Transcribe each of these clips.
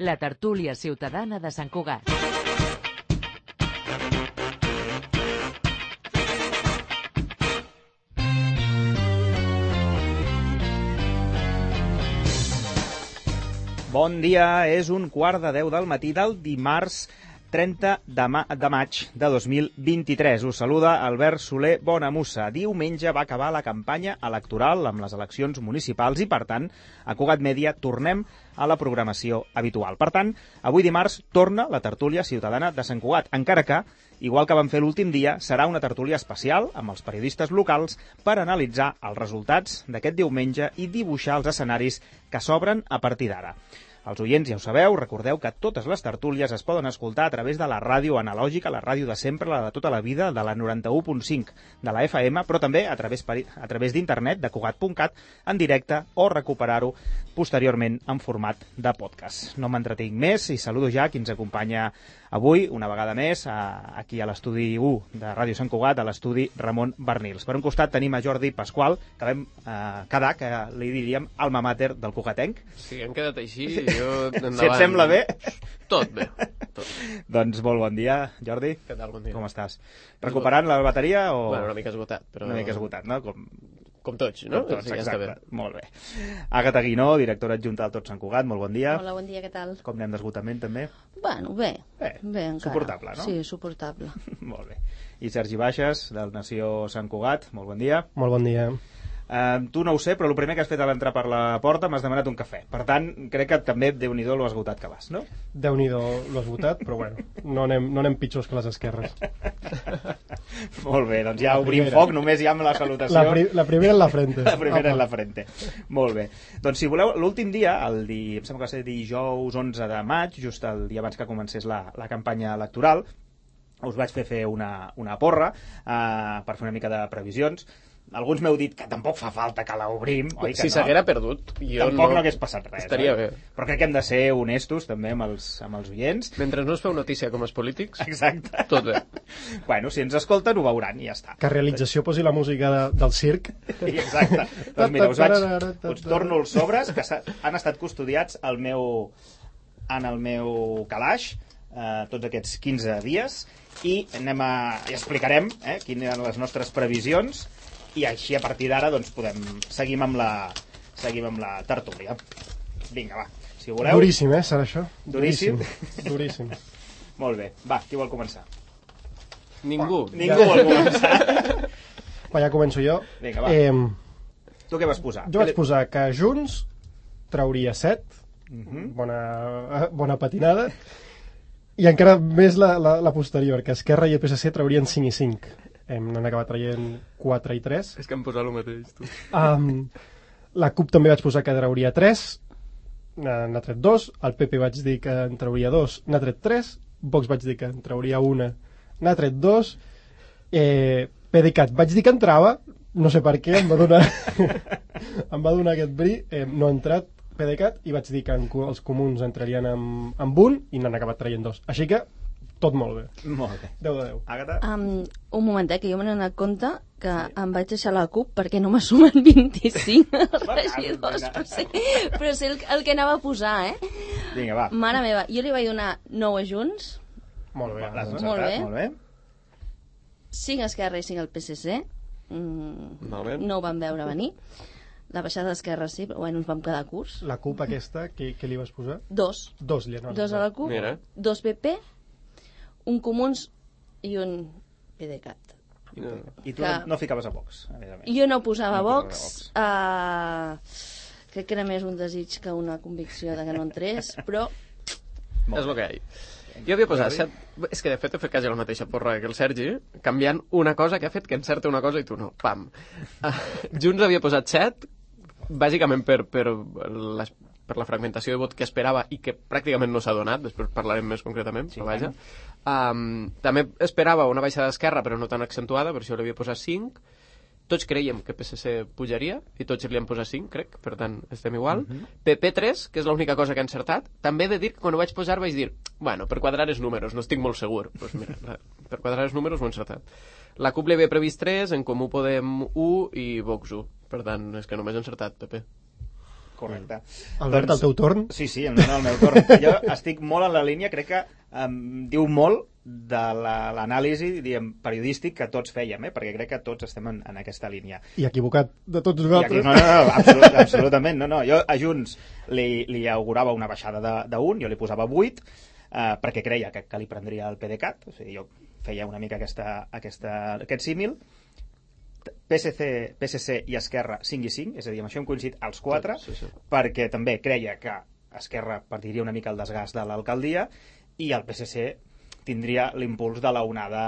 la tertúlia ciutadana de Sant Cugat. Bon dia, és 9:15 del matí del dimarts 30 de maig de 2023. Us saluda Albert Soler Bonamussa. Diumenge va acabar la campanya electoral amb les eleccions municipals i, per tant, a Cugat Mèdia tornem a la programació habitual. Per tant, avui dimarts torna la tertúlia ciutadana de Sant Cugat, encara que, igual que vam fer l'últim dia, serà una tertúlia especial amb els periodistes locals per analitzar els resultats d'aquest diumenge i dibuixar els escenaris que s'obren a partir d'ara. Els oients ja ho sabeu, recordeu que totes les tertúlies es poden escoltar a través de la ràdio analògica, la ràdio de sempre, la de tota la vida, de la 91.5 de la FM, però també a través d'internet, de Cugat.cat, en directe, o recuperar-ho posteriorment en format de podcast. No m'entretinc més i saludo ja qui ens acompanya avui, una vegada més, aquí a l'estudi 1 de Ràdio Sant Cugat, a l'estudi Ramon Bernils. Per un costat tenim a Jordi Pasqual, que vam quedar, que li diríem alma mater del cugatenc. Sí, hem quedat així, jo endavant. Si et sembla bé? Tot bé. Tot. Doncs molt bon dia, Jordi. Què tal, bon dia. Com estàs? Recuperant la bateria o...? Bueno, una mica esgotat, però... Una mica esgotat, no? Com tots, no? Com tots, sí, exacte. Ja molt bé. Àgata Guinó, directora adjunta del Tot Sant Cugat, molt bon dia. Hola, bon dia, què tal? Com anem d'esgotament, també? Bueno, bé encara. Suportable, no? Sí, suportable. Molt bé. I Sergi Baixes, del Nació Sant Cugat, molt bon dia. Molt bon dia. Tu no ho sé, però el primer que has fet a l'entrar per la porta m'has demanat un cafè. Per tant, crec que també, Déu-n'hi-do, lo esgotat que vas, no? Déu-n'hi-do, lo esgotat, però bueno, no anem pitjors que les esquerres. Molt bé, doncs ja obrim foc, només ja amb la salutació. La primera en la frente. La primera en la frente. Molt bé. Doncs si voleu, l'últim dia, em sembla que va ser dijous 11 de maig, just el dia abans que comencés la campanya electoral, us vaig fer una porra per fer una mica de previsions. Alguns m'heu dit que tampoc fa falta que l'obrim, oi que si s'haguera perdut, tampoc no hagués passat res. Estaria bé. Però crec que hem de ser honestos també amb els oients. Mentre no es feu notícia com els polítics, exacte. Tot bé. Bueno, si ens escolten ho veuran i ja està. Que realització posi la música del circ. Exacte. Doncs mira, us torno els sobres que han estat custodiats en el meu calaix tots aquests 15 dies i explicarem quines eren les nostres previsions i així a partir d'ara doncs seguim amb la tertúlia. Vinga, va, si voleu. Duríssim, serà això? Duríssim? Duríssim. Molt bé, va, qui vol començar? Ningú. Ningú vol començar. Va, ja començo jo. Vinga, va. Tu què vas posar? Jo vaig posar que Junts trauria 7, bona patinada, i encara més la posterior, que Esquerra i el PSC traurien 5 i 5. N'han acabat traient 4 i 3. És que hem posat el mateix, tu. La CUP també vaig posar que trauria 3, n'ha tret 2, el PP vaig dir que en trauria 2, n'ha tret 3, Vox vaig dir que en trauria 1, n'ha tret 2, PDeCAT vaig dir que entrava, no sé per què, em va donar aquest bri, no ha entrat PDeCAT i vaig dir que els comuns entrarien amb 1 i n'han acabat traient 2. Així que tot molt bé. Molt bé. 10 de 10. Àgata? Un moment, que jo me n'he donat compte que em vaig deixar la CUP perquè no me sumen 25 regidors, però sé el que anava a posar, Vinga, va. Mare meva, jo li vaig donar 9 a Junts. Molt bé. Molt bé. 5 a Esquerra i 5 al PSC. No ho vam veure venir. La baixada d'Esquerra sí, però bueno, ens vam quedar curts. La CUP aquesta, què li vas posar? 2. 2 li han 2 a la CUP, 2 PP, un Comuns i un PDeCAT. I tu no ficaves a Vox, a més. Jo no posava Vox. Crec que era més un desig que una convicció de que no entrés, però... És el que hi ha. Jo havia posat 7... És que de fet he fet quasi la mateixa porra que el Sergi, canviant una cosa que ha fet que encerta una cosa i tu no. Pam! Junts havia posat 7, bàsicament per la fragmentació de vot que esperava i que pràcticament no s'ha donat, després parlarem més concretament, però vaja. També esperava una baixada d'Esquerra, però no tan accentuada, per això l'havia posat 5. Tots creiem que PSC pujaria i tots li han posat 5, crec, per tant estem igual. PP 3, que és l'única cosa que ha encertat. També he de dir que quan ho vaig posar vaig dir, bueno, per quadrar els números, no estic molt segur. Doncs mira, per quadrar els números ho he encertat. La CUP li havia previst 3, en Comú Podem 1 i Vox 1. Per tant, és que només he encertat PP. Correcte. Albert, el teu torn? Sí, el meu torn. Jo estic molt en la línia, crec que diu molt de l'anàlisi periodístic que tots fèiem, perquè crec que tots estem en aquesta línia. I equivocat de tots nosaltres. No, absolutament. No. Jo a Junts li augurava una baixada d'1, jo li posava 8, perquè creia que li prendria el PDeCAT, o sigui, jo feia una mica aquest símil. PSC i Esquerra 5 i 5, és a dir, amb això hem coincidit els 4, perquè també creia que Esquerra partiria una mica el desgast de l'alcaldia i el PSC tindria l'impuls de la onada,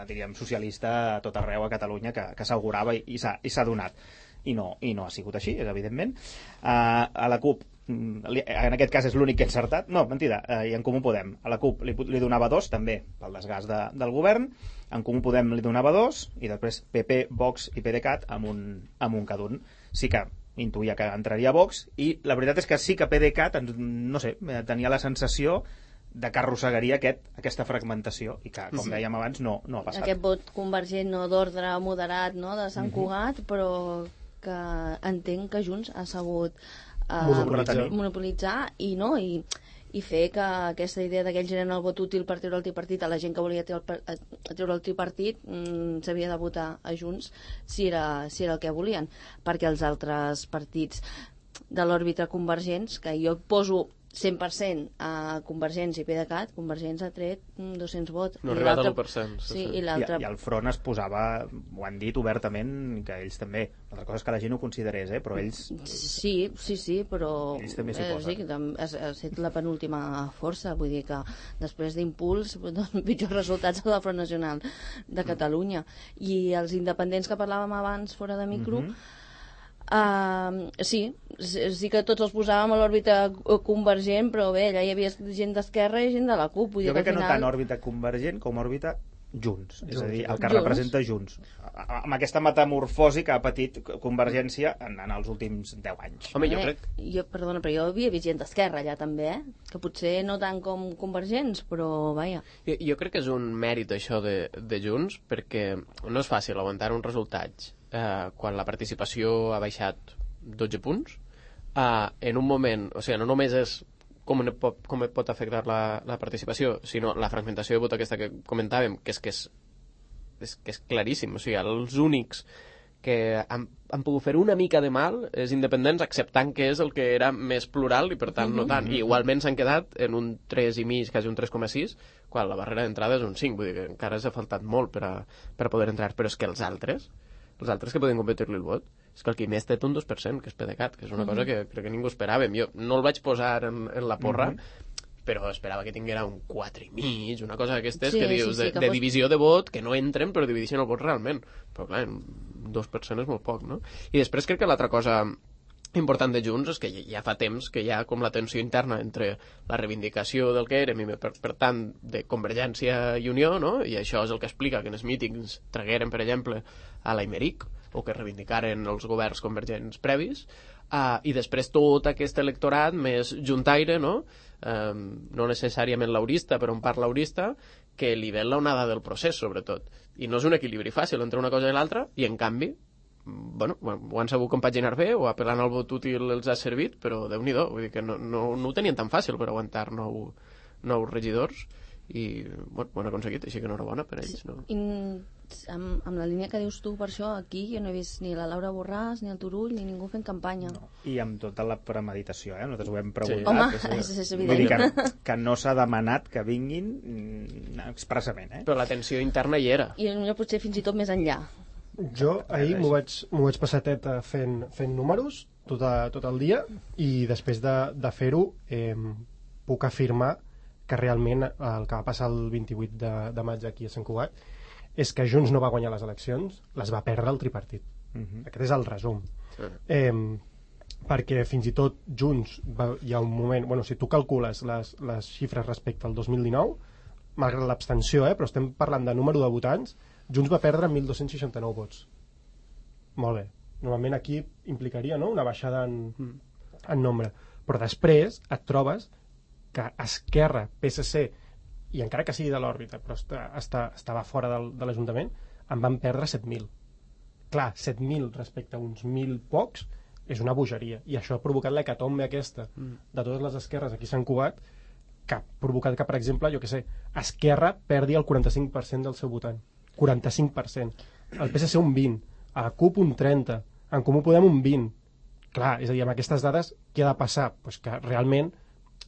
diríem, socialista a tot arreu a Catalunya que s'augurava i s'ha donat. I no ha sigut així, evidentment. A la CUP, en aquest cas és l'únic que he encertat, no, mentida, i en Comú Podem. A la CUP li donava 2, també, pel desgast del govern, en Comú Podem li donava 2, i després PP, Vox i PDeCAT amb un cada un. Sí que intuïa que entraria Vox, i la veritat és que sí que PDeCAT, no sé, tenia la sensació de que arrossegaria aquesta fragmentació i que, com dèiem abans, no ha passat. Aquest vot convergent d'ordre moderat, no, de Sant Cugat, però que entenc que Junts ha sabut monopolitzar i fer que aquesta idea que ells eren el vot útil per treure el tripartit a la gent que volia treure el tripartit s'havia de votar a Junts si era el que volien, perquè els altres partits de l'òrbita convergents, que jo poso 100% a Convergents i PDeCAT, Convergents ha tret 200 vots. No ha arribat a l'1%. Sí, i el front es posava, ho han dit obertament, que ells també, altra cosa és que la gent ho considerés, però ells... Sí, però ells també s'hi posen. Sí, ha estat la penúltima força, vull dir que després d'Impuls, pitjors resultats a la Front Nacional de Catalunya. I els independents que parlàvem abans fora de micro, sí que tots els posàvem a l'òrbita convergent, però bé, allà hi havia gent d'Esquerra i gent de la CUP. Jo crec que no tant òrbita convergent com òrbita Junts, és a dir, el que representa Junts, amb aquesta metamorfosi que ha patit Convergència en els últims 10 anys. Home, jo crec... Perdona, però jo havia vist gent d'Esquerra allà també, que potser no tant com Convergents, però vaja. Jo crec que és un mèrit això de Junts, perquè no és fàcil aguantar uns resultats quan la participació ha baixat 12 punts, en un moment, o sigui, no només és com et pot afectar la participació, sinó la fragmentació de vot aquesta que comentàvem, que és claríssim. O sigui, els únics que han pogut fer una mica de mal és independents, acceptant que és el que era més plural i per tant no tant. I igualment s'han quedat en un 3,5, quasi un 3,6, quan la barrera d'entrada és un 5, vull dir que encara s'ha faltat molt per poder entrar, però és que els altres que poden competir-li el vot, és que el qui més té un 2%, que és PDeCAT, que és una cosa que crec que ningú esperàvem. Jo no el vaig posar en la porra, però esperava que tinguera un 4,5, una cosa d'aquestes que dius, de divisió de vot, que no entren però divideixen el vot realment. Però clar, un 2% és molt poc, no? I després crec que l'altra cosa important de Junts és que ja fa temps que hi ha com la tensió interna entre la reivindicació del que érem i per tant de Convergència i Unió, no? I això és el que explica que en els mítings tragueren, per exemple, a l'Aimeric o que reivindicaren els governs convergents previs, i després tot aquest electorat més juntaire, no? No necessàriament laurista, però en part laurista, que li ven l'onada del procés, sobretot. I no és un equilibri fàcil entre una cosa i l'altra, i en canvi ho han sabut compaginar bé, o apel·lant al vot útil els ha servit, però Déu-n'hi-do, vull dir que no ho tenien tan fàcil per aguantar nous regidors, i ho han aconseguit, així que enhorabona per ells, no? Amb la línia que dius tu, per això aquí jo no he vist ni la Laura Borràs ni el Turull ni ningú fent campanya. I amb tota la premeditació, nosaltres ho hem preguntat. Home, és evident. Vull dir que no s'ha demanat que vinguin expressament. Però la tensió interna hi era. I potser fins i tot més enllà. Jo ahir m'ho vaig passar teta fent números tot el dia, i després de fer-ho puc afirmar que realment el que va passar el 28 de maig aquí a Sant Cugat és que Junts no va guanyar les eleccions, les va perdre el tripartit. Aquest és el resum. Perquè fins i tot Junts hi ha un moment... si tu calcules les xifres respecte al 2019, malgrat l'abstenció, però estem parlant de número de votants, Junts va perdre 1.269 vots. Molt bé. Normalment aquí implicaria una baixada en nombre. Però després et trobes que Esquerra, PSC, i encara que sigui de l'òrbita, però estava fora de l'Ajuntament, en van perdre 7.000. Clar, 7.000 respecte a uns 1.000 pocs és una bogeria. I això ha provocat l'hecatombe aquesta de totes les esquerres aquí a Sant Cugat, que ha provocat que, per exemple, jo què sé, Esquerra perdi el 45% del seu votant. 45%. El PSC un 20%, a la CUP un 30%, en Comú Podem un 20%. Clar, és a dir, amb aquestes dades, què ha de passar? Pues que realment,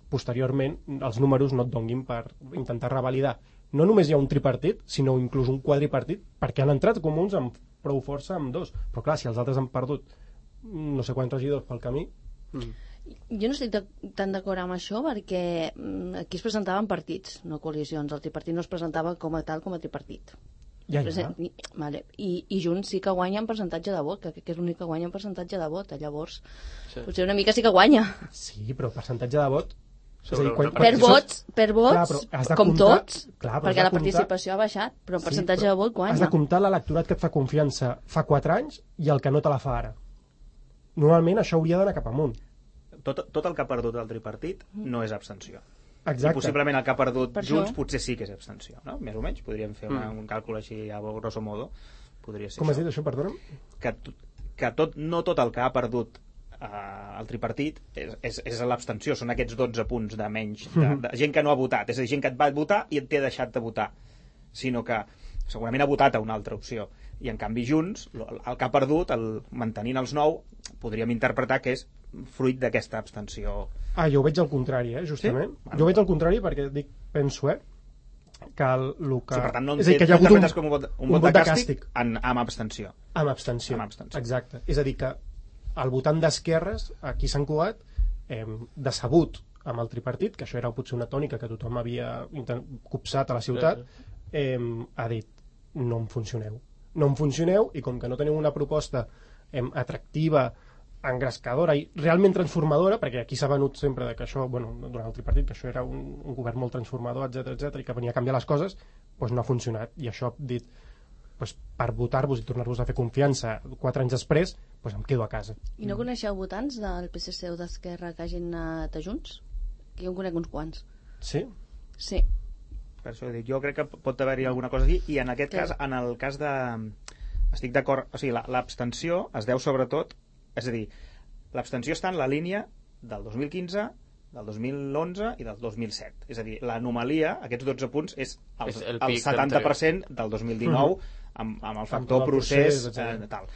posteriorment, els números no et donguin per intentar revalidar. No només hi ha un tripartit, sinó inclús un quadripartit, perquè han entrat comuns amb prou força amb dos. Però clar, si els altres han perdut no sé quants regidors pel camí... Jo no estic tan d'acord amb això perquè aquí es presentaven partits, no coalicions. El tripartit no es presentava com a tal, com a tripartit. Ja. Vale. I Junts sí que guanya en percentatge de vot, que crec que és l'únic que guanya en percentatge de vot. Llavors, potser una mica sí que guanya. Sí, però percentatge de vot... Per vots, clar, com comptar, tots, clar, perquè la participació ha baixat, però en percentatge de vot guanya. Has de comptar l'electorat que et fa confiança fa 4 anys i el que no te la fa ara. Normalment això hauria d'anar cap amunt. Tot el que ha perdut el tripartit no és abstenció. Exacte. I possiblement el que ha perdut Per Junts això. potser sí que és abstenció, no? Més o menys, podríem fer un càlcul així a grosso modo. Podria ser Com has això. dit això, perdona'm? Que no tot el que ha perdut el tripartit és l'abstenció, són aquests 12 punts de menys, de gent que no ha votat, és a dir, gent que et va votar i et té deixat de votar, sinó que segurament ha votat a una altra opció, i en canvi Junts, el que ha perdut, mantenint els 9, podríem interpretar que és fruit d'aquesta abstenció. Jo ho veig al contrari, justament. Sí? Jo ho veig al contrari perquè penso, que el que... Sí, per tant, no és a dir, que hi ha hagut com un vot de càstig amb abstenció. Amb abstenció, exacte. És a dir, que el votant d'esquerres, aquí a Sant Cugat, decebut amb el tripartit, que això era potser una tònica que tothom havia copsat a la ciutat, ha dit, no em funcioneu. No em funcioneu, i com que no teniu una proposta atractiva, engrescadora i realment transformadora, perquè aquí s'ha venut sempre que això, durant el tripartit, que això era un govern molt transformador, etc i que venia a canviar les coses, doncs no ha funcionat. I això ha dit, per votar-vos i tornar-vos a fer confiança 4 anys després, em quedo a casa. I no coneixeu votants del PSC o d'Esquerra que hagin anat a Junts? Que jo en conec uns quants. Sí? Sí. Per això dic, jo crec que pot haver-hi alguna cosa aquí, i en aquest cas, en el cas de... Estic d'acord, o sigui, l'abstenció es deu sobretot, és a dir, l'abstenció està en la línia del 2015, del 2011 i del 2007. És a dir, l'anomalia, aquests 12 punts, és el 70% del 2019 amb el factor procés tal.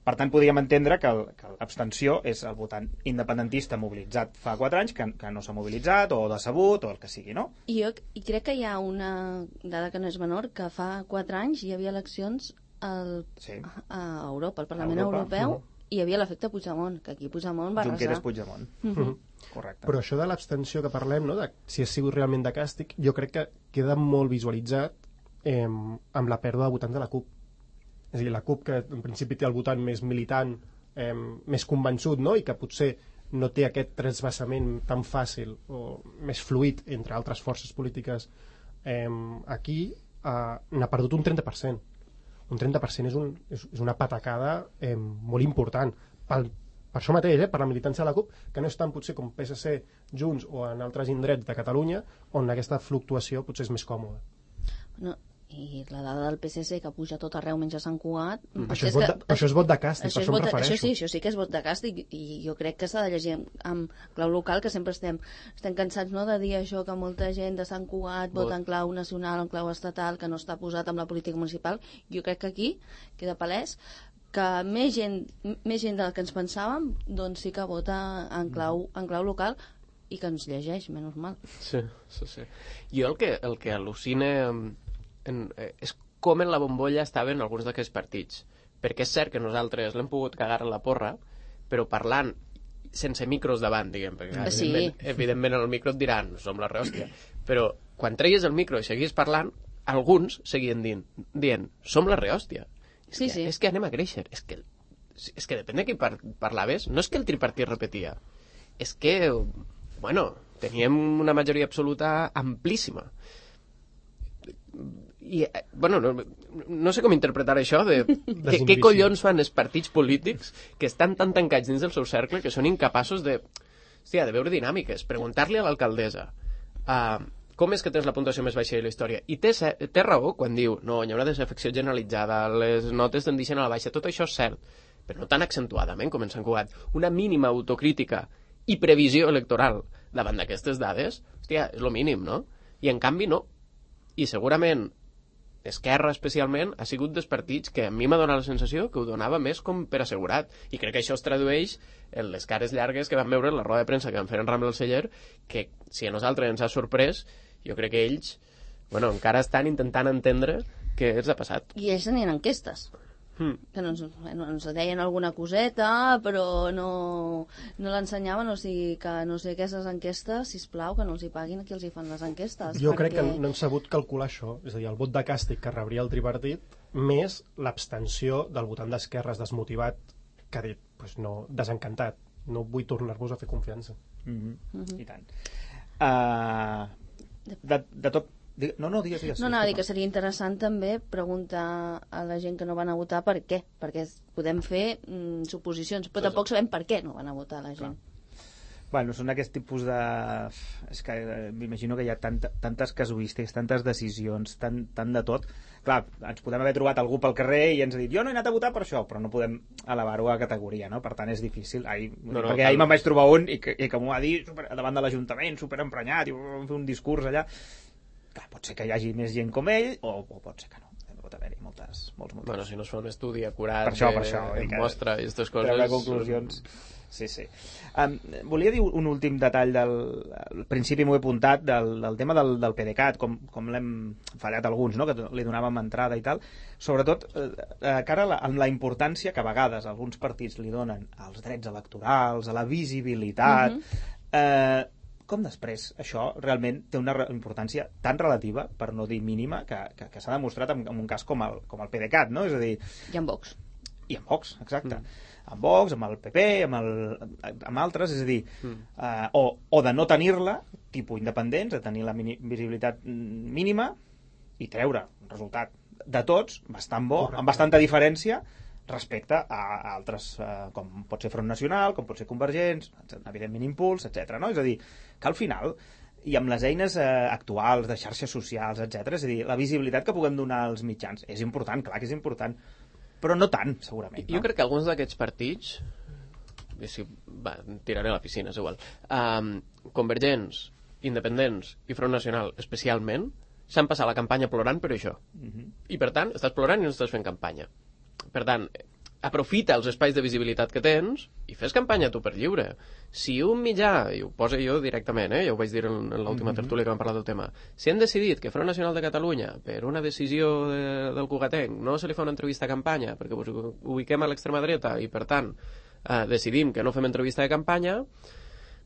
Per tant, podríem entendre que l'abstenció és el votant independentista mobilitzat fa 4 anys, que no s'ha mobilitzat, o decebut, o el que sigui, no? I crec que hi ha una dada que no és menor, que fa 4 anys hi havia eleccions a Europa, al Parlament Europeu, i hi havia l'efecte Puigdemont, que aquí Puigdemont va arrasar. Junqueras Puigdemont. Correcte. Però això de l'abstenció que parlem, de si ha sigut realment de càstig, jo crec que queda molt visualitzat amb la pèrdua de votants de la CUP. És a dir, la CUP, que en principi té el votant més militant, més convençut, i que potser no té aquest trasbassament tan fàcil o més fluid entre altres forces polítiques, aquí n'ha perdut un 30%. Un 30% és una patacada molt important. Per això mateix, per la militància de la CUP, que no és tant potser com PSC, Junts o en altres indrets de Catalunya, on aquesta fluctuació potser és més còmoda. No, i la dada del PSC que puja tot arreu menys a Sant Cugat... Això és vot de càstig, per això em refereixo. Això sí que és vot de càstig, i jo crec que s'ha de llegir amb clau local, que sempre estem cansats de dir això, que molta gent de Sant Cugat vota en clau nacional, en clau estatal, que no està posat amb la política municipal. Jo crec que aquí queda palès que més gent del que ens pensàvem, doncs sí que vota en clau local, i que ens llegeix, menys mal. Sí. Jo el que al·lucina és com en la bombolla estaven alguns d'aquests partits, perquè és cert que nosaltres l'hem pogut cagar a la porra, però parlant sense micros davant, diguem, perquè evidentment el micro et diran, som la rehòstia, però quan treies el micro i seguis parlant, alguns seguien dient, som la rehòstia. És que anem a créixer, és que depèn de qui parlaves, no és que el tripartit repetia, és que teníem una majoria absoluta amplíssima. I, no sé com interpretar això de què collons fan els partits polítics que estan tan tancats dins del seu cercle que són incapaços de veure dinàmiques, preguntar-li a l'alcaldessa com és que tens la puntuació més baixa de la història, i té raó quan diu no, hi ha una desafecció generalitzada, les notes tendeixen a la baixa, tot això és cert, però no tan accentuadament com en Sant Cugat, una mínima autocrítica i previsió electoral davant d'aquestes dades, hòstia, és el mínim, no? I en canvi no. I segurament Esquerra especialment ha sigut dels partits que a mi m'ha donat la sensació que ho donava més com per assegurat, i crec que això es tradueix en les cares llargues que vam veure en la roda de premsa que van fer en Rambla del Celler, que si a nosaltres ens ha sorprès, jo crec que ells encara estan intentant entendre què els ha passat. I ells tenien enquestes. Que ens deien alguna coseta, però no l'ensenyaven, o sigui que no sé, aquestes enquestes, sisplau, que no els hi paguin a qui els hi fan les enquestes. Jo crec que no han sabut calcular això, és a dir, el vot de càstig que rebria el tripartit, més l'abstenció del votant d'esquerres desmotivat, que ha dit, pues no, desencantat, no vull tornar-vos a fer confiança. I tant. De tot. No, digues. No, dir que seria interessant també preguntar a la gent que no van a votar per què, perquè podem fer suposicions, però tampoc sabem per què no van a votar la gent. Bueno, són aquest tipus de... És que m'imagino que hi ha tantes casuístiques, tantes decisions, tant de tot. Clar, ens podem haver trobat algú pel carrer i ens ha dit, jo no he anat a votar per això, però no podem elevar-ho a categoria, no? Per tant, és difícil. Perquè ahir me'n vaig trobar un i que m'ho va dir davant de l'Ajuntament, superemprenyat, i va fer un discurs allà. Clar, pot ser que hi hagi més gent com ell, o pot ser que no. Pot haver-hi molts motius. Bueno, si no es fa un estudi acurat, per això, mostra i aquestes coses... Treure conclusions... Sí. Volia dir un últim detall al principi m'ho he apuntat del tema del PDeCAT, com l'hem fallat alguns, no? Que li donàvem entrada i tal, sobretot cara amb la importància que a vegades alguns partits li donen als drets electorals, a la visibilitat, com després això realment té una importància tan relativa, per no dir mínima, que s'ha demostrat en un cas com el PDeCAT, no? És a dir... I amb Vox. I amb Vox, exacte. Amb Vox, amb el PP, amb altres, és a dir, o de no tenir-la, tipus independents, de tenir la visibilitat mínima i treure un resultat de tots, bastant bo, amb bastanta diferència, respecte a altres, com pot ser Front Nacional, com pot ser Convergents, evidentment Impuls, etc. No? És a dir, que al final, i amb les eines actuals de xarxes socials, etc., és a dir, la visibilitat que puguem donar als mitjans és important, clar que és important, però no tant, segurament. Jo crec que alguns d'aquests partits, tiraré a la piscina, és igual, Convergents, Independents i Front Nacional especialment, s'han passat la campanya plorant per això. I per tant, estàs plorant i no estàs fent campanya. Per tant, aprofita els espais de visibilitat que tens i fes campanya tu per lliure. Si un mitjà, i ho poso jo directament, ja ho vaig dir en l'última tertúlia que vam parlar del tema, si han decidit que Front Nacional de Catalunya, per una decisió del Cugatenc, no se li fa una entrevista a campanya perquè us ubiquem a l'extrema dreta i per tant decidim que no fem entrevista de campanya,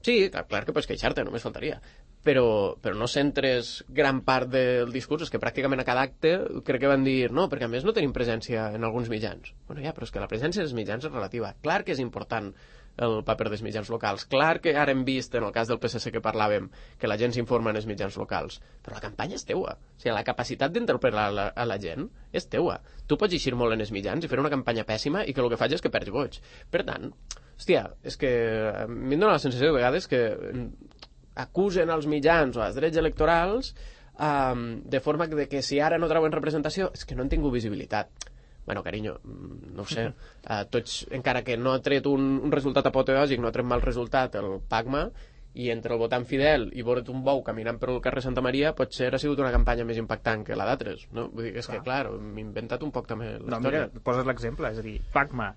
sí, clar que pots queixar-te, només faltaria. Però no centres gran part del discurs, és que pràcticament a cada acte crec que van dir, no, perquè a més no tenim presència en alguns mitjans. Bueno, ja, però és que la presència dels mitjans és relativa. Clar que és important el paper dels mitjans locals. Clar que ara hem vist, en el cas del PSC que parlàvem, que la gent s'informa en els mitjans locals. Però la campanya és teua. O sigui, la capacitat d'interpel·lar a la gent és teua. Tu pots eixir molt en els mitjans i fer una campanya pèssima i que el que faig és que perds goig. Per tant, hòstia, és que a mi em dóna la sensació de vegades que acusen als mitjans o als drets electorals de forma que si ara no treuen representació és que no han tingut visibilitat. Bueno, carinyo, no ho sé, tots, encara que no ha tret un resultat apoteòsic, no ha tret mal resultat el PACMA, i entre el votant fidel i veure't un bou caminant per el carrer Santa Maria potser ha sigut una campanya més impactant que la d'altres, no? Vull dir, és que clar, m'he inventat un poc també la història. Mira, poses l'exemple, és a dir, PACMA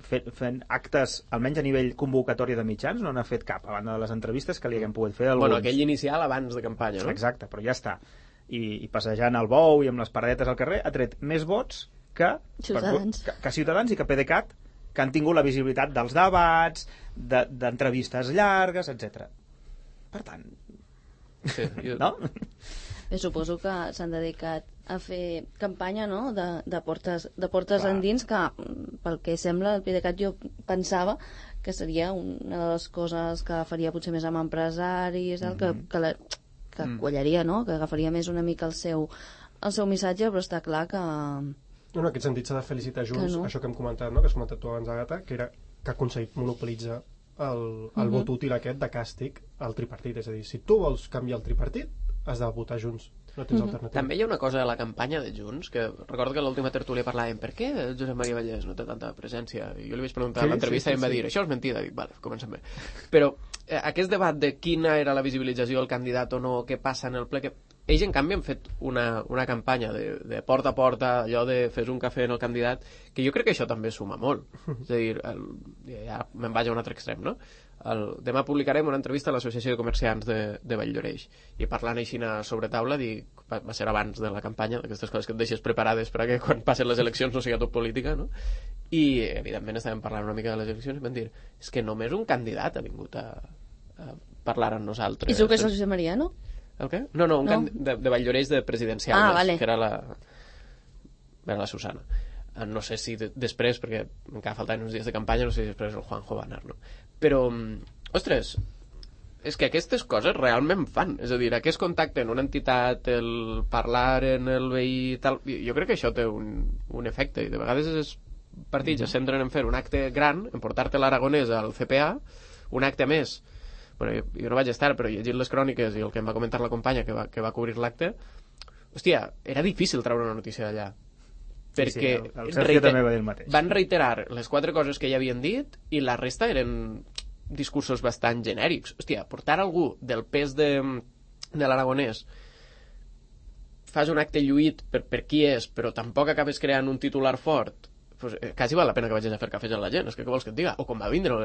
fent actes, almenys a nivell convocatòria de mitjans, no n'ha fet cap, a banda de les entrevistes que li haguem pogut fer alguns. Bueno, aquell inicial abans de campanya, no? Exacte, però ja està. I passejant el bou i amb les paradetes al carrer ha tret més vots que Ciutadans i que PDeCAT, que han tingut la visibilitat dels debats, d'entrevistes llargues, etc. Per tant... Sí, no? Bé, suposo que s'han dedicat a fer campanya, no?, de portes endins, que pel que sembla el PDeCAT jo pensava que seria una de les coses que faria potser més amb empresaris, que quallaria, no?, que agafaria més una mica el seu missatge, però està clar que... No, en aquest sentit s'ha de felicitar Junts, no? Això que hem comentat, no?, que has comentat tu abans, Àgata, que ha aconseguit monopolitzar el vot útil aquest de càstig al tripartit. És a dir, si tu vols canviar el tripartit, has de votar Junts. no tens alternativa. També hi ha una cosa a la campanya de Junts, que recordo que a l'última tertúlia parlàvem per què Josep Maria Vallès no té tanta presència, i jo li vaig preguntar a l'entrevista i em va dir, això és mentida, dic, vale, comencem bé. Però aquest debat de quina era la visibilització del candidat o no, què passa en el ple, que ells en canvi han fet una campanya de porta a porta, allò de fes un cafè en el candidat, que jo crec que això també suma molt. És a dir, ja me'n vaig a un altre extrem, no? Demà publicarem una entrevista a l'Associació de Comerciants de Valldoreix, i parlant així sobre taula, va ser abans de la campanya, d'aquestes coses que et deixes preparades perquè quan passen les eleccions no sigui tot política, no? I evidentment estàvem parlant una mica de les eleccions i vam dir, és que només un candidat ha vingut a parlar amb nosaltres. I tu que és el Josep Maria, no? El què? No, de Valldoreix de presidencial, vale. Que era la Susana. No sé si després, perquè encara faltaven uns dies de campanya, no sé si després el Juanjo va anar, no? Però, ostres, és que aquestes coses realment fan. És a dir, aquest contacte en una entitat, el parlar en el veí, tal, jo crec que això té un efecte, i de vegades els partits es centren en fer un acte gran, en portar-te l'Aragonès al CPA, un acte més. Bueno, jo no vaig estar, però llegint les cròniques i el que em va comentar la companya que va cobrir l'acte, hòstia, era difícil treure una notícia d'allà. Perquè el Sergio també va dir el mateix. Van reiterar les 4 coses que ja havien dit i la resta eren discursos bastant genèrics. Hòstia, portar algú del pes de l'Aragonès, fas un acte lluït per qui és, però tampoc acabes creant un titular fort, pues, quasi val la pena que vagis a fer cafès amb la gent, és que què vols que et diga? O com va vindre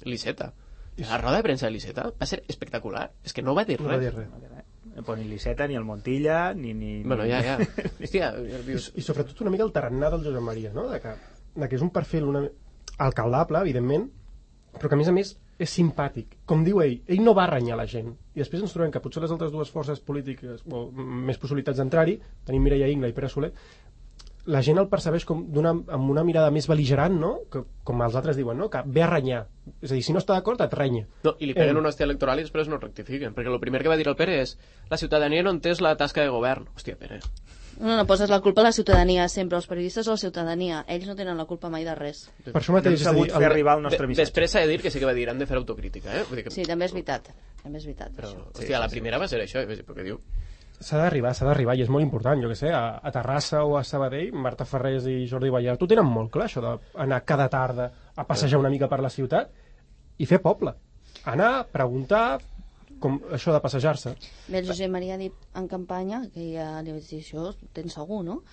l'Iceta. La roda de premsa de l'Iceta va ser espectacular. És que no va dir res. No va dir res. Però ni l'Iceta, ni el Montilla, ni... Bueno, ja. Hòstia, I sobretot una mica el tarannà del Josep Maria, no? De que és un perfil alcaldable, evidentment, però que a més és simpàtic. Com diu ell no va renyar la gent. I després ens trobem que potser les altres dues forces polítiques més possibilitats d'entrar-hi, tenim Mireia Ingla i Pere Soler, la gent el percebeix amb una mirada més bel·ligerant, no? Que, com els altres diuen, no? Que ve a renyar. És a dir, si no està d'acord, et renya. No, i li peguen una hòstia electoral i després no rectifiquen, perquè el primer que va dir el Pere és la ciutadania no entès la tasca de govern. Hòstia, Pere. No poses la culpa a la ciutadania sempre, els periodistes o la ciutadania. Ells no tenen la culpa mai de res. Per això mateix, hem sabut fer arribar el nostre missatge. Després s'ha de dir que sí que va dir, han de fer autocrítica, eh? Vull dir que... Sí, també és veritat. Però, hòstia, la primera va ser això, perquè diu... S'ha d'arribar, i és molt important, jo què sé, a Terrassa o a Sabadell, Marta Ferrés i Jordi Ballart ho tenen molt clar, això d'anar cada tarda a passejar una mica per la ciutat i fer poble. Anar, preguntar, com això de passejar-se. Bé, el Josep Maria ha dit en campanya, que ja li vaig dir això, tens segur, no?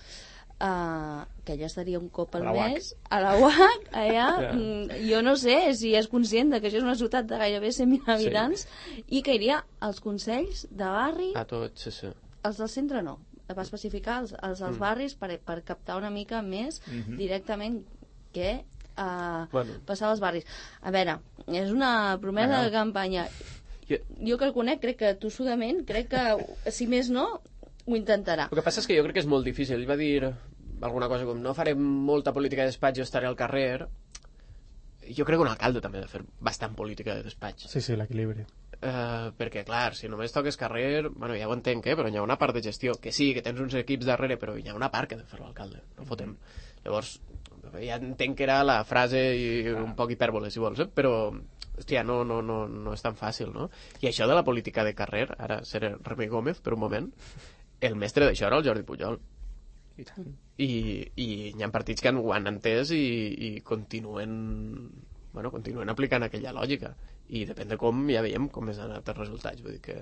Que ella estaria un cop al mes a la UAC, allà. Jo no sé si és conscient que això és una ciutat de gairebé 100.000 habitants i que iria als consells de barri, a tots, sí. Els del centre no, va especificar els dels barris per captar una mica més directament què passar als barris. A veure, és una promesa de campanya. Jo que el conec, crec que tossudament, crec que si més no ho intentarà. El que passa és que jo crec que és molt difícil. Ell va dir alguna cosa com no farem molta política de despatx, jo estaré al carrer. Jo crec que un alcalde també ha de fer bastant política de despatx. Sí, l'equilibri. Perquè, clar, si només toques carrer, bueno, ja ho entenc, però hi ha una part de gestió, que sí, que tens uns equips darrere, però hi ha una part que ha de fer l'alcalde, no fotem. Llavors, ja entenc que era la frase i un poc hipèrbole, si vols, però, hòstia, no és tan fàcil, no? I això de la política de carrer, ara seré Remei Gómez per un moment, el mestre d'això era el Jordi Pujol. I hi ha partits que ho han entès i continuen aplicant aquella lògica. I depèn de com, ja veiem com és anat els resultats. Vull dir que...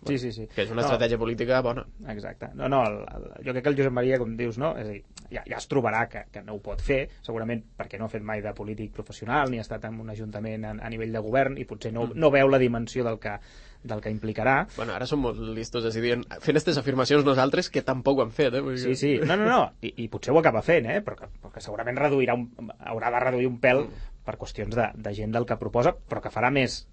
Sí. Que és una estratègia política bona. Exacte. Jo crec que el Josep Maria, com dius, no? És a dir, ja es trobarà que no ho pot fer, segurament perquè no ha fet mai de polític professional ni ha estat en un ajuntament a nivell de govern i potser no veu la dimensió del que implicarà. Bueno, ara som molt listos decidint, fent aquestes afirmacions nosaltres que tampoc ho han fet, Sí. No. I potser ho acaba fent, però que segurament haurà de reduir un pèl per qüestions de gent del que proposa, però que farà més,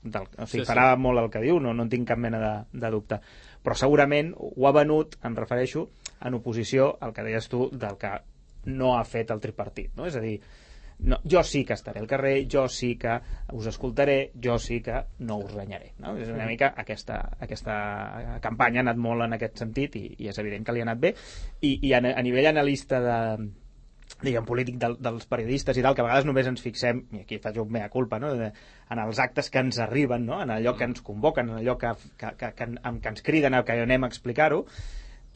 farà molt el que diu, no en tinc cap mena de dubte. Però segurament ho ha venut, em refereixo, en oposició al que deies tu del que no ha fet el tripartit, no? És a dir, jo sí que estaré al carrer, jo sí que us escoltaré, jo sí que no us renyaré, no? És una mica aquesta campanya ha anat molt en aquest sentit i és evident que li ha anat bé i a nivell analista diguem, polític dels periodistes i tal, que a vegades només ens fixem, i aquí faig un mea culpa, no? En els actes que ens arriben, no? En allò que ens convoquen, en allò que ens criden a que anem a explicar-ho,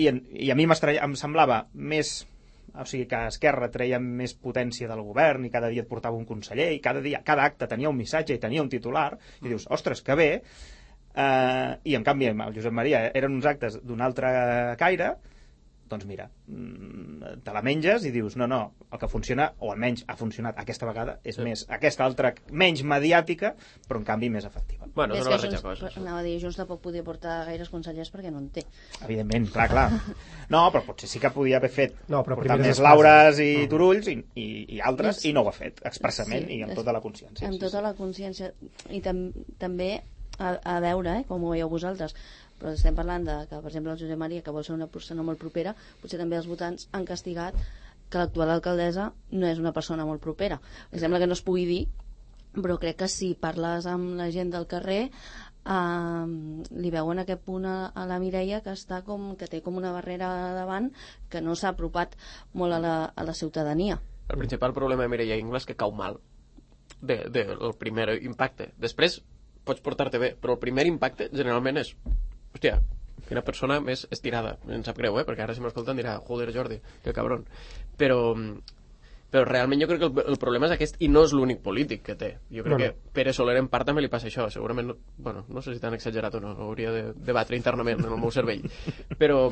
i a mi em semblava més, o sigui, que Esquerra treia més potència del govern i cada dia et portava un conseller i cada acte tenia un missatge i tenia un titular, i dius, ostres, que bé, i en canvi el Josep Maria eren uns actes d'un altre caire. Doncs mira, te la menges i dius, no, el que funciona, o almenys ha funcionat aquesta vegada, és més aquesta altra, menys mediàtica, però en canvi més efectiva. Bueno, és una barreja de coses. Anava a dir, Junts tampoc podia portar gaires consellers perquè no en té. Evidentment, clar. No, però potser sí que podia haver fet portar més espasa. Laures i Turulls i altres, i no ho ha fet expressament i amb tota la consciència. Amb tota la consciència. I també a veure, com ho veieu vosaltres, però estem parlant que, per exemple, el Josep Maria, que vol ser una persona molt propera, potser també els votants han castigat que l'actual alcaldessa no és una persona molt propera. Em sembla que no es pugui dir, però crec que si parles amb la gent del carrer li veuen aquest punt a la Mireia que té com una barrera davant, que no s'ha apropat molt a la ciutadania. El principal problema de Mireia Ingles és que cau mal del primer impacte. Després pots portar-te bé, però el primer impacte generalment és, hòstia, quina persona més estirada. Em sap greu, perquè ara si m'escolten dirà, joder, Jordi, que cabron. Però realment jo crec que el problema és aquest, i no és l'únic polític que té. Jo crec que Pere Soler en part també li passa això. Segurament, no sé si t'han exagerat o no, hauria de debatre internament en el meu cervell. Però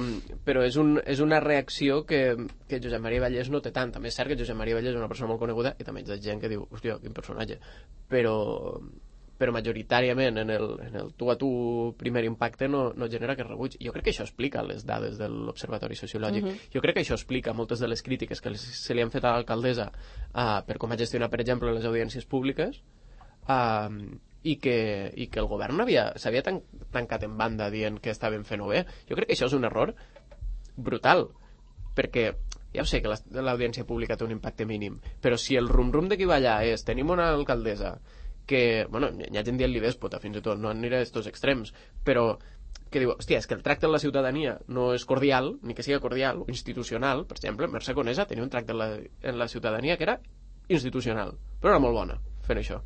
és una reacció que Josep Maria Vallès no té tant. També és cert que Josep Maria Vallès és una persona molt coneguda i també hi ha gent que diu, hòstia, quin personatge. Però majoritàriament en el tu a tu primer impacte no genera aquest rebuig. Jo crec que això explica les dades de l'Observatori Sociològic. Jo crec que això explica moltes de les crítiques que se li han fet a l'alcaldessa per com ha gestionat, per exemple, les audiències públiques, i que el govern s'havia tancat en banda dient que estaven fent-ho bé. Jo crec que això és un error brutal, perquè ja ho sé que l'audiència pública té un impacte mínim, però si el rum-rum de qui va allà és tenim una alcaldessa que, hi ha gent dient-li dèspota, fins i tot, no aniré a estos extrems, però que diu, hòstia, és que el tracte amb la ciutadania no és cordial, ni que sigui cordial, o institucional. Per exemple, Mercè Conesa tenia un tracte en la ciutadania que era institucional, però era molt bona fent això.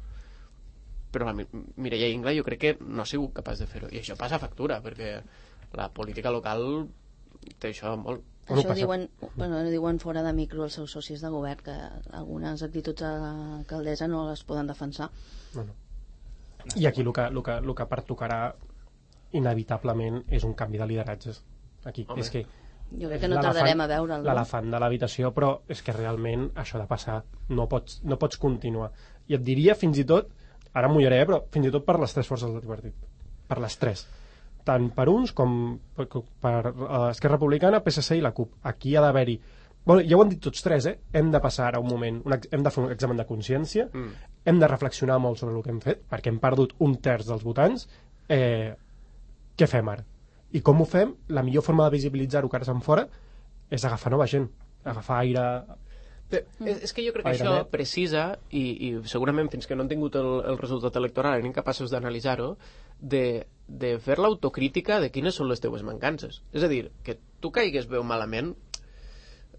Però la Mireia Ingla jo crec que no ha sigut capaç de fer-ho, i això passa factura, perquè la política local té això molt. Això diuen fora de micro els seus socis de govern, que algunes actituds de l'alcaldessa no les poden defensar. I aquí el que pertocarà inevitablement és un canvi de lideratges. Aquí és que jo crec que no tardarem a veure'l, no? L'elefant de l'habitació, però és que realment això ha de passar, no pots continuar. I et diria fins i tot, ara em mullaré, però fins i tot per les tres forces del tripartit, per les tres, tant per uns com per Esquerra Republicana, PSC i la CUP. Aquí ha d'haver-hi, ja ho han dit tots tres, hem de passar ara un moment, hem de fer un examen de consciència, hem de reflexionar molt sobre el que hem fet, perquè hem perdut un terç dels votants. Què fem ara? I com ho fem? La millor forma de visibilitzar-ho cares enfora és agafar nova gent, agafar aire. És que jo crec que això precisa, i segurament fins que no han tingut el resultat electoral eren incapaços d'analitzar-ho, de fer l'autocrítica de quines són les teues mancances. És a dir, que tu caigues bé o malament,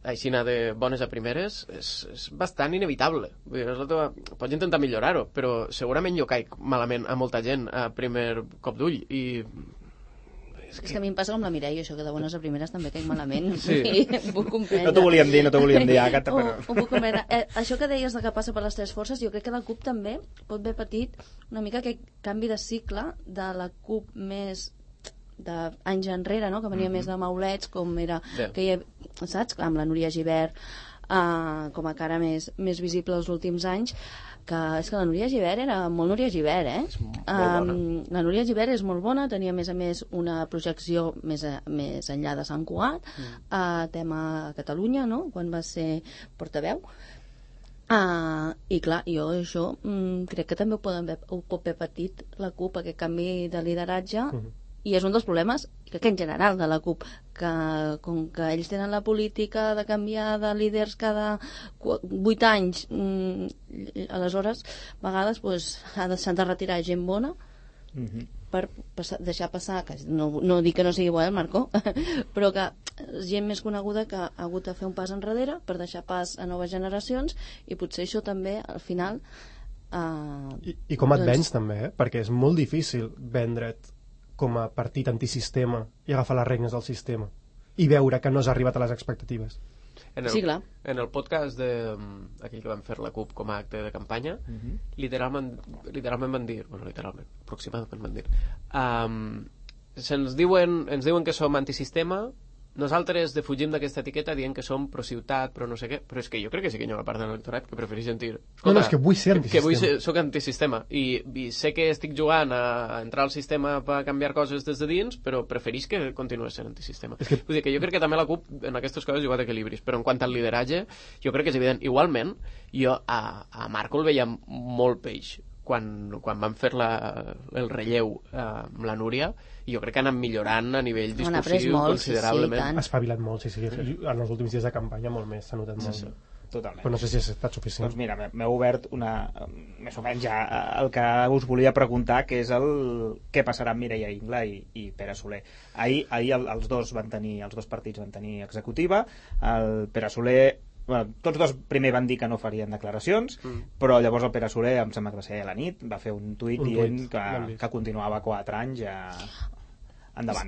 així anar de bones a primeres, és bastant inevitable. Vull dir, pots intentar millorar-ho, però segurament jo caic malament a molta gent a primer cop d'ull, i és que a mi em passa com la Mireia, això que de bones a primeres també caic malament. Sí. Ho puc comprendre. No t'ho volíem dir, Ho puc comprendre. Això que deies que passa per les tres forces, jo crec que la CUP també pot haver patit una mica aquest canvi de cicle de la CUP més d'anys enrere, no? Que venia més de maulets, com era que hi ha, saps? Amb la Núria Gibert com a cara més visible els últims anys, que és que la Núria Gibert era molt Núria Gibert, la Núria Gibert és molt bona, tenia a més una projecció més enllà de Sant Cugat, tema Catalunya, no? Quan va ser portaveu, i clar, jo això crec que també ho pot haver patit la CUP, aquest canvi de lideratge, i és un dels problemes, crec que en general de la CUP, que com que ells tenen la política de canviar de líders cada 8 anys, aleshores a vegades s'han de retirar gent bona per deixar passar, que no dic que no sigui bo, el Marco, però que gent més coneguda que ha hagut de fer un pas enrere per deixar pas a noves generacions, i potser això també al final I com et vens també, perquè és molt difícil vendre't com a partit antisistema i agafar les regnes del sistema i veure que no has arribat a les expectatives. Sí, clar. En el podcast aquell que vam fer la CUP com a acte de campanya, literalment van dir, aproximadament van dir, ens diuen que som antisistema, nosaltres defugim d'aquesta etiqueta dient que som pro-ciutat, però no sé què, però és que jo crec que sí que hi ha una part de l'electorat que prefereix sentir... No, és que vull ser antisistema. Que soc antisistema i sé que estic jugant a entrar al sistema per canviar coses des de dins, però prefereix que continuï sent antisistema. Vull dir que jo crec que també la CUP en aquestes coses juga d'equilibris, però en quant al lideratge jo crec que és evident. Igualment, jo a Marco el veia molt peix quan van fer el relleu amb la Núria, i jo crec que han anat millorant a nivell discursiu considerablement. Ha espavilat molt, sí. En els últims dies de campanya molt més, s'ha notat molt. Totalment. Però no sé si ha estat suficient. Doncs mira, m'he obert més o menys ja el que us volia preguntar, que és què passarà amb Mireia Ingla i Pere Soler. Ahir els dos partits van tenir executiva. El Pere Soler, tots dos primer van dir que no farien declaracions, però llavors el Pere Soler, em sembla que va ser a la nit, va fer un tuit dient que continuava 4 anys endavant.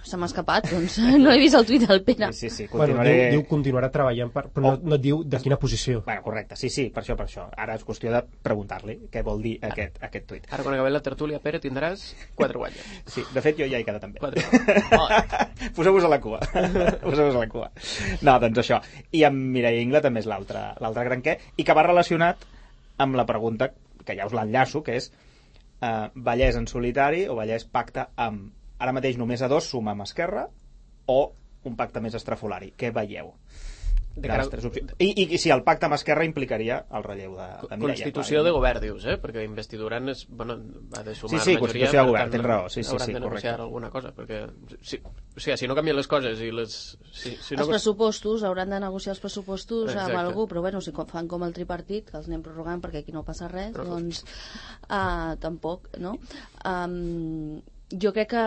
Se m'ha escapat, doncs no he vist el tuit del Pere. Sí, continuaré... Diu continuarà treballant, però no et diu de quina posició. Bueno, correcte, sí, per això. Ara és qüestió de preguntar-li què vol dir aquest tuit. Ara quan acabem la tertúlia, Pere, tindràs 4 guanyes. Sí, de fet jo ja he quedat també. 4. Poseu-vos a la cua. No, doncs això. I amb Mireia Ingla també és l'altre gran què, i que va relacionat amb la pregunta, que ja us l'enllaço, que és Vallès en solitari o Vallès pacte amb... Ara mateix només a 2 suma amb Esquerra o un pacte més estrafolari. Què veieu? De les 3 opcions. I si el pacte amb Esquerra implicaria el relleu de Mireia. Constitució de govern, dius, perquè investidura ha de sumar majoria. Sí, constitució de govern, tens raó. Sí, hauran de negociar alguna cosa, perquè si no canvien les coses i els pressupostos, hauran de negociar els pressupostos amb algú, però bueno, si fan com el tripartit, que els anem prorrogant perquè aquí no passa res, doncs tampoc, no? Jo crec que,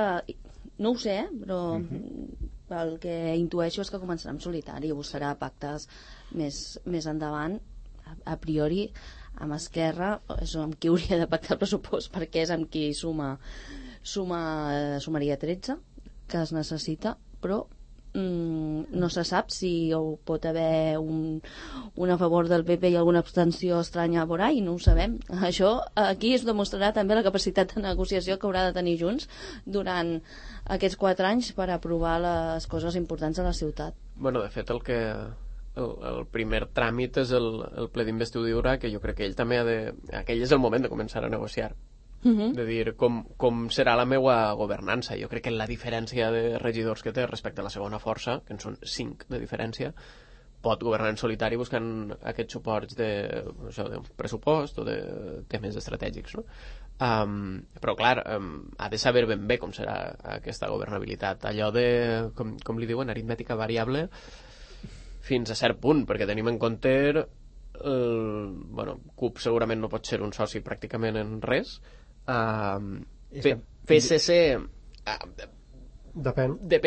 no ho sé, però el que intueixo és que començarà en solitari i buscarà pactes més endavant, a priori amb Esquerra és amb qui hauria de pactar el pressupost, perquè és amb qui sumaria 13 que es necessita, però no se sap si pot haver un a favor del PP i alguna abstenció estranya por ahí, no ho sabem. Això aquí es demostrarà també la capacitat de negociació que haurà de tenir Junts durant aquests 4 anys per aprovar les coses importants a la ciutat. Bueno, de fet, el primer tràmit és el ple d'investidura, que jo crec que ell també aquell és el moment de començar a negociar. De dir com serà la meva governança. Jo crec que la diferència de regidors que té respecte a la segona força, que en són 5 de diferència, pot governar en solitari buscant aquests suports d'un pressupost o de temes estratègics, no? Però clar, ha de saber ben bé com serà aquesta governabilitat, allò de, com li diuen, aritmètica variable fins a cert punt, perquè tenim en compte CUP segurament no pot ser un soci pràcticament en res. PSC depèn. De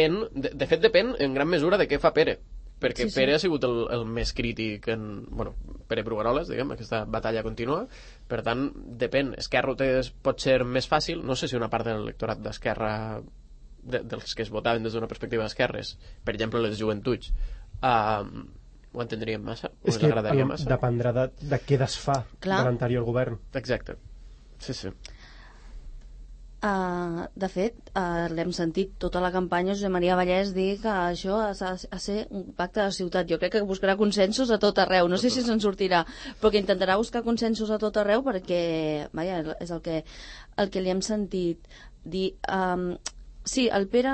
fet depèn en gran mesura de què fa Pere, perquè Pere ha sigut el més crític Pere Brugueroles, diguem, aquesta batalla continua, per tant depèn. Esquerra pot ser més fàcil, no sé si una part de l'electorat d'Esquerra dels que es votaven des d'una perspectiva d'esquerres, per exemple les joventuts, ho entendríem massa, o ens agradaria massa. Dependrà de què desfà de l'anterior govern. Exacte, sí. De fet, l'hem sentit tota la campanya Josep Maria Vallès dir que això ha de ser un pacte de ciutat. Jo crec que buscarà consensos a tot arreu, no sé si se'n sortirà, però que intentarà buscar consensos a tot arreu, perquè és el que li hem sentit dir. Sí, el Pere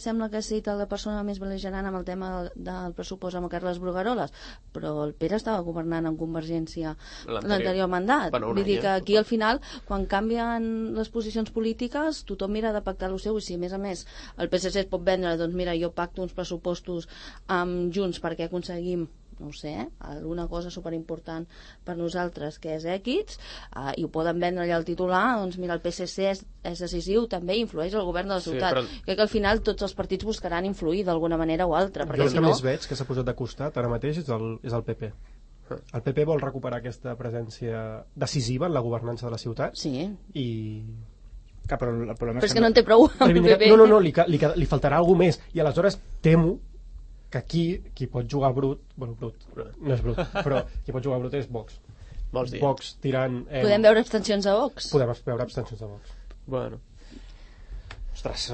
sembla que ha estat la persona més bel·ligerant amb el tema del pressupost amb Carles Brugueroles, però el Pere estava governant amb Convergència l'anterior mandat. Vull dir que aquí al final, quan canvien les posicions polítiques, tothom mira de pactar el seu, i si a més el PSC es pot vendre, doncs mira, jo pacto uns pressupostos amb Junts perquè aconseguim no ho sé, alguna cosa superimportant per nosaltres que és èquits, i ho poden vendre allà al titular, doncs mira, el PSC és decisiu, també influeix el govern de la ciutat. però... Crec que al final tots els partits buscaran influir d'alguna manera o altra, Jo perquè el si que no... més veig que s'ha posat de costat ara mateix és el PP. El PP vol recuperar aquesta presència decisiva en la governança de la ciutat Sí, i... Però el problema però és que no en té prou el PP. No, li faltarà alguna més i aleshores temo que aquí qui pot jugar brut, bueno, brut, no és brut, però qui pot jugar brut és Vox. Vols dir? Vox tirant... Podem veure abstencions a Vox? Podem veure abstencions de Vox. Bueno. Ostres,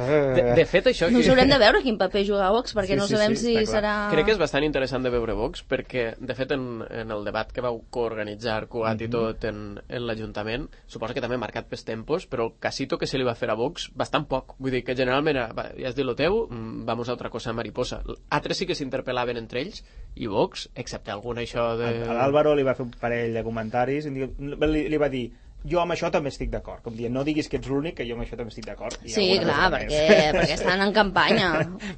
De fet, això... No us haurem de veure quin paper juga Vox, perquè Sí, no sí, sabem sí, si està clar. serà... Crec que és bastant interessant de veure Vox, perquè, de fet, en el debat que vau coorganitzar, Cugat i tot, en l'Ajuntament, suposa que també marcat pels tempos, però el casito que se li va fer a Vox, bastant poc. Vull dir que generalment era, va, ja has dit lo teu, vamos a otra cosa mariposa. Altres sí que s'interpel·laven entre ells, i Vox, excepte algun això de... A l'Àlvaro li va fer un parell de comentaris i li va dir jo amb això també estic d'acord, com dient, no diguis que ets l'únic, que jo amb això també estic d'acord. Sí, clar, perquè estan en campanya.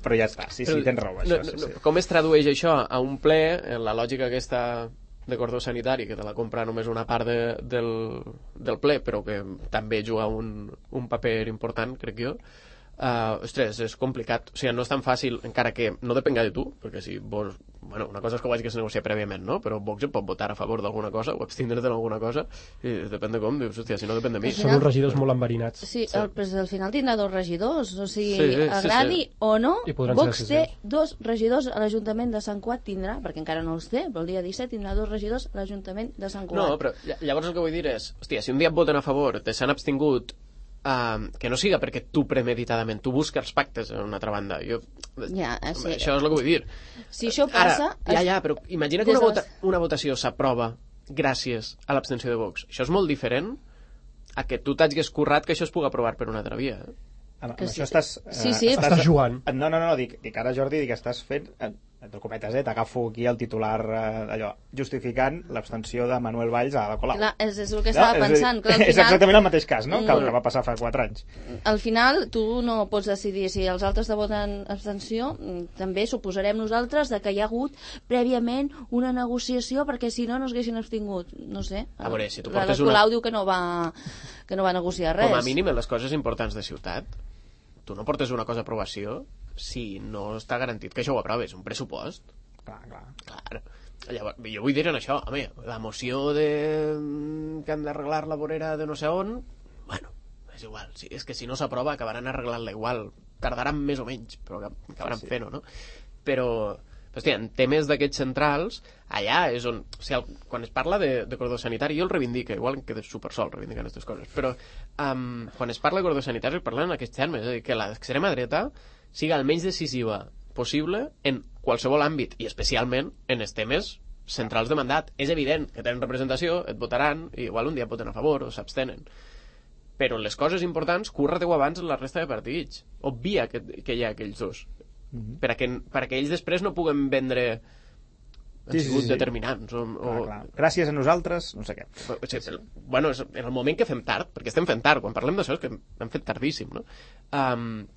Però ja està, sí, tens raó, això. Sí. Com es tradueix això a un ple, en la lògica aquesta de cordó sanitari, que te la compra només una part del ple, però que també juga un paper important, crec jo. Ostres, és complicat. O sigui, no és tan fàcil, encara que no depenga de tu, perquè si vols... Bueno, una cosa és que ho hagi que es negociar prèviament, no? Però Vox pot votar a favor d'alguna cosa o abstindre's d'alguna cosa, i depèn de com, dius, hòstia, si no depèn de mi. Són uns regidors molt enverinats. Sí, però al final tindrà 2 regidors, o sigui, Sí, agradi o no, I podran ser Vox té decisius. 2 regidors a l'Ajuntament de Sant Cugat, tindrà, perquè encara no els té, però el dia 17 tindrà 2 regidors a l'Ajuntament de Sant Cugat. No, però llavors el que vull dir és, hòstia, si un dia et voten a favor, te s'han abstingut, que no siga perquè tu premeditadament, tu busques els pactes en una altra banda. Ja, sí. Això és el que vull dir. Si això passa... Ara, però imagina que des de les- una votació s'aprova gràcies a l'abstenció de Vox. Això és molt diferent a que tu t'hagis currat que això es pugui aprovar per una altra via. Amb Que això sí. estàs... Sí. Estàs jugant. No, dic ara, Jordi, que estàs fent... Entre cometes, t'agafo aquí el titular allò, justificant l'abstenció de Manuel Valls a la Colau. Clar, és el que estava pensant. Que al És final, exactament el mateix cas, no? Que el que va passar fa 4 anys. al final tu no pots decidir si els altres te voten abstenció, també suposarem nosaltres de que hi ha hagut prèviament una negociació perquè si no es haguessin abstingut, no sé. A veure, si tu la portes Colau diu que no va negociar res. Com a mínim en les coses importants de ciutat, tu no portes una cosa a aprovació si no està garantit que això ho aproves, un pressupost. Clar. Llavors, jo vull dir en això, home, la moció de que han d'arreglar la vorera de no sé on, bueno, és igual, és que si no s'aprova acabaran arreglant-la igual, tardaran més o menys, però acabaran fent-ho, no? Però, hòstia, en temes d'aquests centrals, allà és on... O sigui, quan es parla de cordó sanitari, jo el reivindico, igual em quedo supersol reivindicant aquestes coses, però quan es parla de cordó sanitari es parla en aquests termes, és a dir, que l'extrema dreta siga el menys decisiva possible en qualsevol àmbit, i especialment en els temes centrals de mandat. És evident que tenen representació, et votaran, i igual un dia et voten a favor o s'abstenen. Però en les coses importants, curra-te-ho abans en la resta de partits. Obvia que hi ha aquells dos. Perquè ells després no puguen vendre han sigut determinants Clar. Gràcies a nosaltres, no sé què. Bueno, és en el moment que fem tard, perquè estem fent tard, quan parlem d'això és que hem fet tardíssim, no?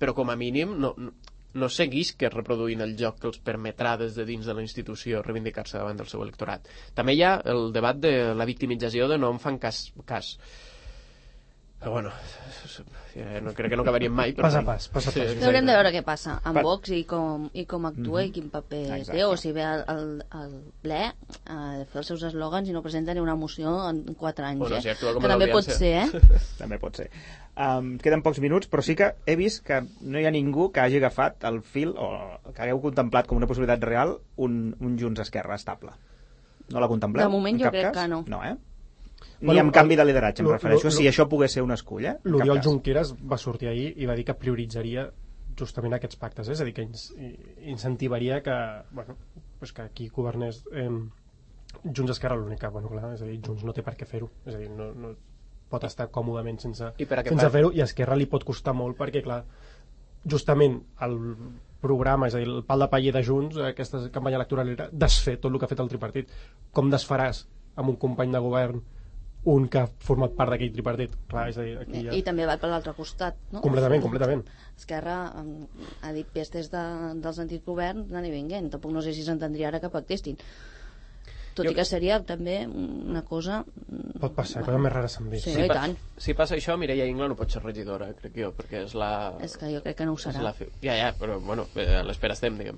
Però com a mínim no seguisc reproduint el joc que els permetrà des de dins de la institució reivindicar-se davant del seu electorat. També hi ha el debat de la victimització de no em fan cas. Però bueno, no, crec que no acabaríem mai. Pas a pas. Sí, Haurem de veure què passa amb Vox i com actua i quin paper té, o si ve al ple a fer els seus eslògans i no presenta ni una moció en 4 anys. Bueno, si actua com que també pot l'audiència. ser, També pot ser. Queden pocs minuts, però sí que he vist que no hi ha ningú que hagi agafat el fil o que hagueu contemplat com una possibilitat real un Junts Esquerra estable. No la contempleu? De moment en jo cap crec cas? que no. No, Ni amb canvi de lideratge, em refereixo, si això pogués ser un escull, L'Oriol Junqueras va sortir ahir i va dir que prioritzaria justament aquests pactes, és a dir, que incentivaria que, bueno, pues que aquí governés Junts Esquerra l'única, bueno, clar, és a dir, Junts no té per què fer-ho, és a dir, no pot estar còmodament sense fer-ho, i a Esquerra li pot costar molt perquè, clar, justament el programa, és a dir, el pal de paller de Junts, aquesta campanya electoral era desfer tot el que ha fet el tripartit. Com desfaràs amb un company de govern un que ha format part d'aquell tripartit? Clar, és a dir, aquí ja... I també va per l'altre costat, no? Completament. Esquerra ha dit pestes dels antics governs anant i vinguent. Tampoc no sé si s'entendria ara que pactessin. Tot i que seria també una cosa... Pot passar, coses més rares s'han vist. Sí, i tant. Si passa això, Mireia Ingla no pot ser regidora, crec jo, perquè és la... És que jo crec que no ho serà. Ja, però bueno, a l'espera estem, diguem.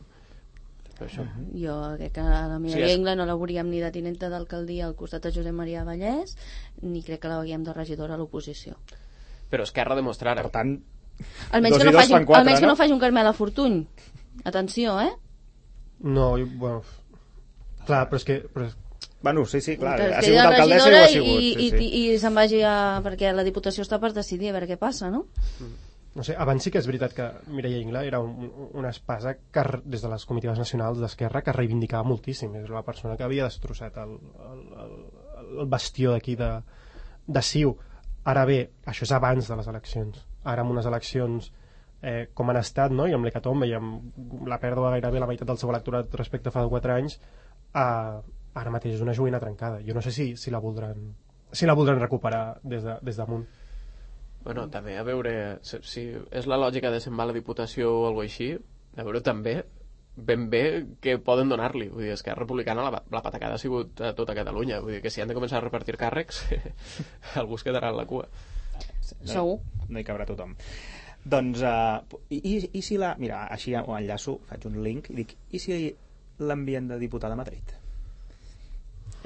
Això. Jo crec que la Mireia Ingla no la veuríem ni de tinenta d'alcaldia al costat de Josep Maria Vallès, ni crec que la veuríem de regidora a l'oposició. Però Esquerra demostrarà. Per tant, almenys que no faci un Carmela Fortuny. Atenció, No, bueno... Clar, però és que... Bueno, sí, clar, que ha sigut alcaldessa i ho ha sigut. I se'n vagi perquè la Diputació està per decidir a veure què passa, no? No sé, abans sí que és veritat que Mireia Ingla era una espasa que, des de les comitives nacionals d'Esquerra, que reivindicava moltíssim. És la persona que havia destrossat el bastió d'aquí de CiU. Ara bé, això és abans de les eleccions. Ara amb unes eleccions com han estat, no? I amb l'hecatombe i amb la pèrdua gairebé la meitat del seu electorat respecte a fa 4 anys, ara mateix és una joguina trencada. Jo no sé si la voldran recuperar des damunt. Bueno, també a veure si és la lògica de se'n va a la Diputació o alguna així, a veure també ben bé què poden donar-li. Vull dir, Esquerra Republicana la patacada ha sigut a tota Catalunya. Vull dir que si han de començar a repartir càrrecs algú es quedarà en la cua. Segur. No hi cabrà tothom. Doncs, i si la... Mira, així ho enllaço, faig un link i dic, i si l'envien de diputada a Madrid?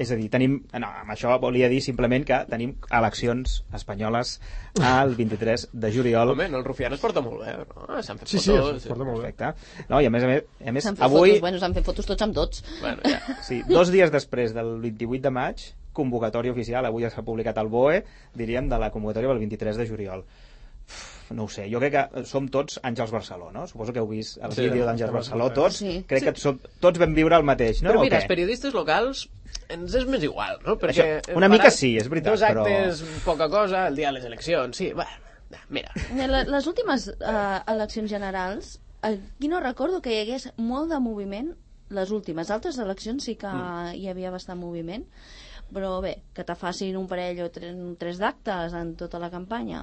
És a dir, no, amb això volia dir simplement que tenim eleccions espanyoles el 23 de juliol. Home, el Rufián es porta molt bé, no? S'han fet fotos. Sí, es porta molt bé. Perfecte. No, i a més avui... S'han fet fotos tots amb tots. Bueno, ja. Sí, 2 dies després del 28 de maig, convocatòria oficial, avui ja s'ha publicat al BOE, diríem, de la convocatòria del 23 de juliol. No ho sé, jo crec que som tots Àngels Barceló, no? Suposo que heu vist el vídeo d'Àngels Barceló, tots. Sí. Crec que tots vam viure el mateix, no? Però mira, els periodistes locals ens és més igual, no? Perquè això, una mica sí, és veritat, 2 actes, poca cosa, el dia de les eleccions, sí, bueno, mira. Les últimes eleccions generals, aquí no recordo que hi hagués molt de moviment, les últimes. Altres eleccions sí que hi havia bastant moviment, però bé, que te facin un parell o 3 d'actes en tota la campanya,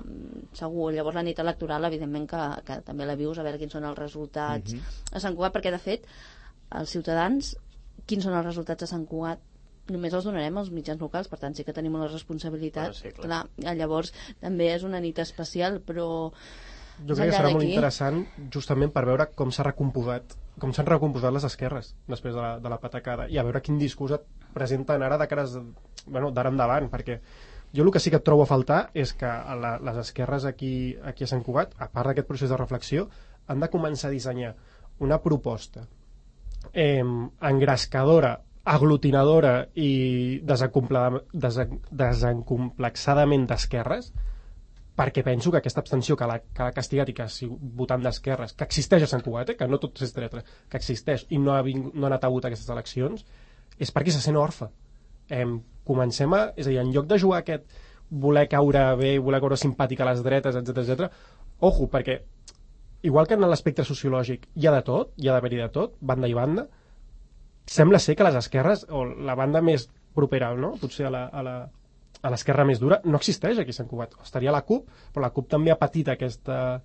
segur. Llavors la nit electoral, evidentment que també la vius, a veure quins són els resultats a Sant Cugat, perquè de fet els ciutadans, quins són els resultats a Sant Cugat, només els donarem als mitjans locals, per tant sí que tenim una responsabilitat. Sí, clar, llavors també és una nit especial, però jo crec que serà molt interessant justament per veure com s'han recomposat les esquerres després de la patacada, i a veure quin discurs et presenten ara d'ara endavant, perquè jo el que sí que et trobo a faltar és que les esquerres aquí a Sant Cugat, a part d'aquest procés de reflexió, han de començar a dissenyar una proposta engrescadora, aglutinadora i desencomplexadament d'esquerres, perquè penso que aquesta abstenció que l'ha castigat i que ha sigut votant d'esquerres, que existeix a Sant Cugat, que no tot és dretra, que existeix i no ha anat a votar aquestes eleccions, és perquè se sent orfe. Comencem és a dir, en lloc de jugar aquest voler caure bé, voler caure simpàtic a les dretes, etc, ojo, perquè igual que en l'espectre sociològic hi ha de tot, hi ha d'haver-hi de tot, banda i banda, sembla ser que les esquerres, o la banda més propera, no? Potser a l'esquerra més dura, no existeix aquí a Sant Cugat. Estaria la CUP, però la CUP també ha patit aquesta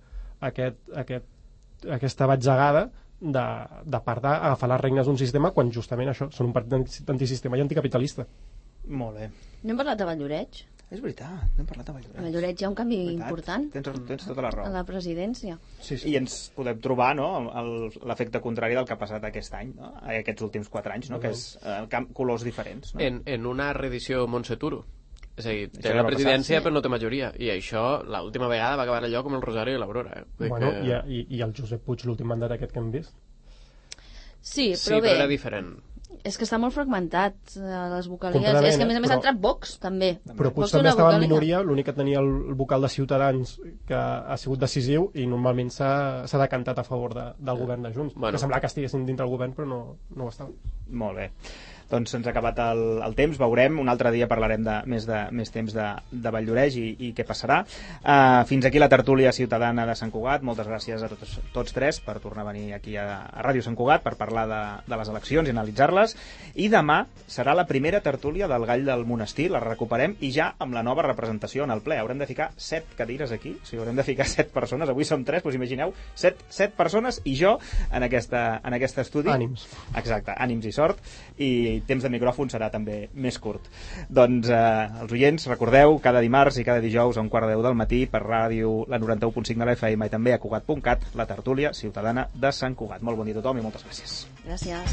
batzegada de part d'agafar les regnes d'un sistema quan justament això són un partit antisistema i anticapitalista. Molt bé. No hem parlat de Valldoreix? És veritat, no hem parlat de Valldoreix. A Valldoreix hi ha un canvi important. Tens tota la raó. A la presidència. Sí. I ens podem trobar, no?, l'efecte contrari del que ha passat aquest any, no?, aquests últims 4 anys, no?, que és colors diferents. No? En una reedició Montseturo. És a dir, té la presidència però no té majoria, i això l'última vegada va acabar allò com el Rosario i l'Aurora. Bueno, i el Josep Puig, l'últim mandat aquest que hem vist? Sí, però bé, era diferent. És que està molt fragmentat, les vocalies. És que a més ha entrat Vox, també. Però Puig també estava en minoria, l'únic que tenia el vocal de Ciutadans, que ha sigut decisiu, i normalment s'ha decantat a favor del govern de Junts. Que semblava que estiguessin dintre el govern, però no ho estava. Molt bé. Doncs se'ns ha acabat el temps, veurem, un altre dia parlarem més temps de Valldoreix i què passarà. Fins aquí la tertúlia ciutadana de Sant Cugat. Moltes gràcies a tots 3 per tornar a venir aquí a Ràdio Sant Cugat per parlar de les eleccions i analitzar-les, i demà serà la primera tertúlia del Gall del Monestir, la recuperem, i ja amb la nova representació en el ple. Haurem de ficar 7 cadires aquí, o sigui, haurem de ficar 7 persones, avui som 3, doncs imagineu, 7 persones i jo en aquest estudi. Ànims. Exacte, ànims i sort, i i temps de micròfon serà també més curt. Doncs els oients, recordeu, cada dimarts i cada dijous a 1:15 del matí per ràdio la 91.5 de l'FM i també a Cugat.cat, la tertúlia ciutadana de Sant Cugat. Molt bon dia a tothom i moltes gràcies. Gràcies.